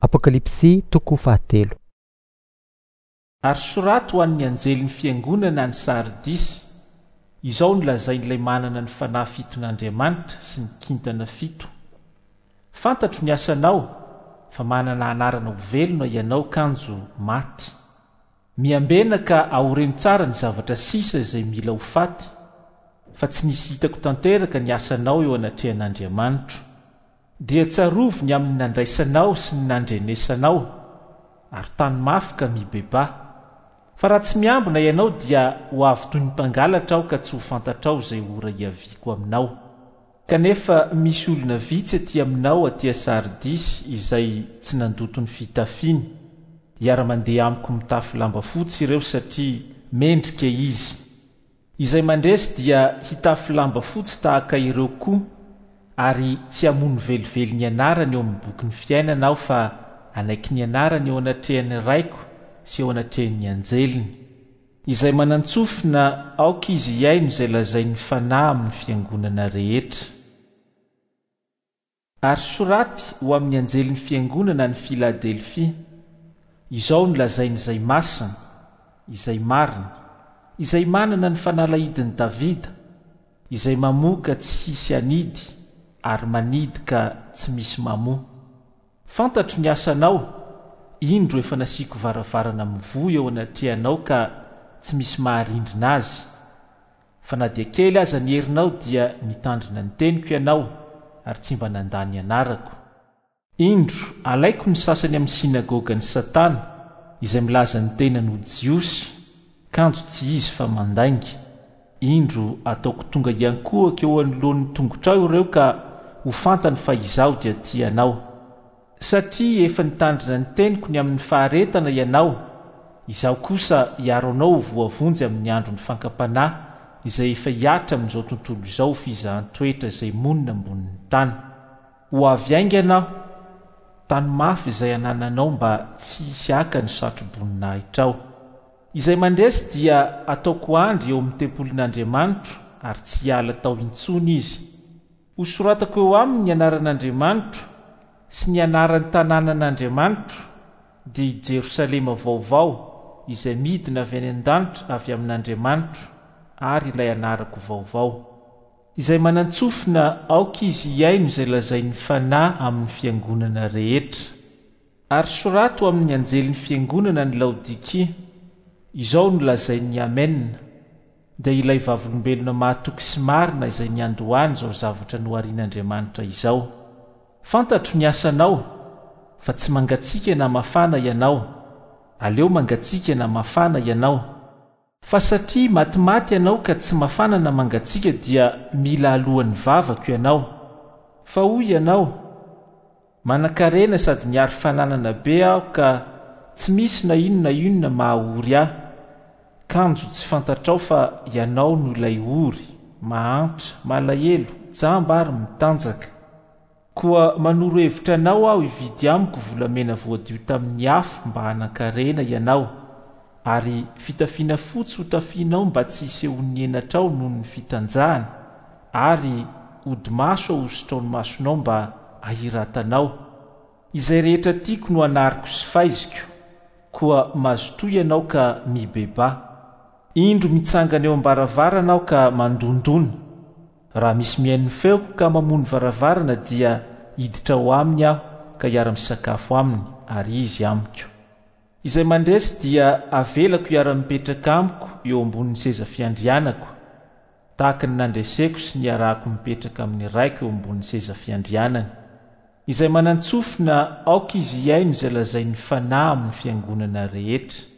Apokalypsy toko fahatelo. Ary soraty ho an'ny anjelin'ny fiangonana any Sardisy, Izao no lazain'ilay manana ny fanahy fiton'Andriamanitra sy ny kintana fito, Fantatro ny asanao, fa manana anarana ho velona ianao kanjo maty. Miambena ka aoreno tsara ny zavatra sisa izay mila ho faty, fa tsy nisy hitako tanteraka ny asanao eo anatrehan'Andriamanitro. Dia tsarovy ny amin'ny nandraisanao sy ny nandrenesanao, ary tano mafy ka mibebaha. Fa raha tsy miambina ianao dia ho avy toy ny mpangalatra aho ka tsy ho fantatrao izay ora hiaviako aminao. Kanefa misy olona vitsy aty aminao aty Sardisy izay tsy nandoto ny fitafiany. Hiara-mandeha amiko mitafy lamba fotsy ireo satria mendrika izy. Izay mandresy dia hitafy lamba fotsy tahaka ireo koa, ary tsy hamono velively ny anarany eo amin'ny bokin'ny fiainana aho fa hanaiky ny anarany eo anatrehan'ny Raiko sy eo anatrehan'ny anjeliny. Izay manan-tsofina, aoka izy hihaino izay lazain'ny Fanahy amin'ny fiangonana rehetra. Ary soraty ho amin'ny anjelin'ny fiangonana any Filadelfia, Izao no lazain'Izay Masina, Izay Marina, Izay manana ny fanalahidin'i Davida, Izay mamoha ka tsy hisy hanidy, ary manidy ka tsy misy mamoha. Fantatro ny asanao, indro efa nasiako varavarana mivoha eo anatrehanao ka tsy misy maharindrina azy. Fa na dia kely aza ny herinao dia nitandrina ny teniko ianao ary tsy mba nandà ny anarako. Indro, alaiko ny sasany amin'ny synagogan'i Satana, izay milaza ny tenany ho Jiosy, kanjo tsy izy fa mandainga. Indro, ataoko tonga hiankohoka eo anoloan'ny tongotrao ireo ka ho fantany fa Izaho dia tia anao. Satria efa nitandrina ny teniko ny amin'ny faharetana ianao, Izaho kosa hiaro anao ho voavonjy amin'ny andron'ny fankam-panahy izay efa hihatra amin'izao tontolo izao ho fizahan-toetra izay monina ambonin'ny tany. Ho avy haingana Aho, tano mafy izay anananao mba tsy hisy haka ny satro-boninahitrao. Izay mandresy dia hataoko andry eo amin'ny tempolin'Andriamanitro ary tsy hiala tao intsony izy. Hosoratako eo aminy ny anaran'Andriamanitro sy ny anaran'ny tanànan'Andriamanitro, dia i Jerosalema vaovao, izay midina avy any an-danitra avy amin'Andriamanitro, ary ilay anarako vaovao. Izay manan-tsofina, aoka izy hihaino izay lazain'ny Fanahy amin'ny fiangonana rehetra. Ary soraty ho amin'ny anjelin'ny fiangonana any Laodikia, Izao no lazain'ny Amena, dia ilay vavolombelona mahatoky sy marina izay niandohany izao zavatra noharian'Andriamanitra izao. Fantatro ny asanao, fa tsy mangatsiaka na mafana ianao, aleo mangatsiaka na mafana ianao. Fa satria matimaty ianao ka tsy mafana na mangatsiaka dia mila alohan'ny vavako ianao. Fa hoy ianao, Manankarena sady niary fananana be aho ka tsy misy na inona inona maha ory ahy. Kanjo tsy fantatrao fa ianao no ilay ory, mahantra, malahelo, jamba ary mitanjaka. Koa manoro hevitra anao aho hividy amiko volamena voadio tamin'ny afo mba hanan-karena ianao, ary fitafiana fotsy hotafianao mba tsy hisehoan'ny henatrao noho ny fitanjahana, ary hodi-maso ahosotrao ny masonao mba hahiratanao. Izay rehetra tiako no anariko sy faiziko, koa mazotoa ianao ka mibebaha. Indro mitsangana eo am-baravarana aho ka mandondona. Raha misy mihaino ny feoko ka mamoha ny varavarana dia hiditra ao aminy aho ka hiara-misakafo aminy ary izy amiko. Izay mandresy dia avelako hiara-mipetraka amiko eo ambonin'ny seza fiandrianako, tahaka ny nandreseko sy niarahako mipetraka amin'ny Raiko eo ambonin'ny seza fiandrianany. Izay manan-tsofina, aoka izy hihaino izay lazain'ny Fanahy amin'ny fiangonana rehetra.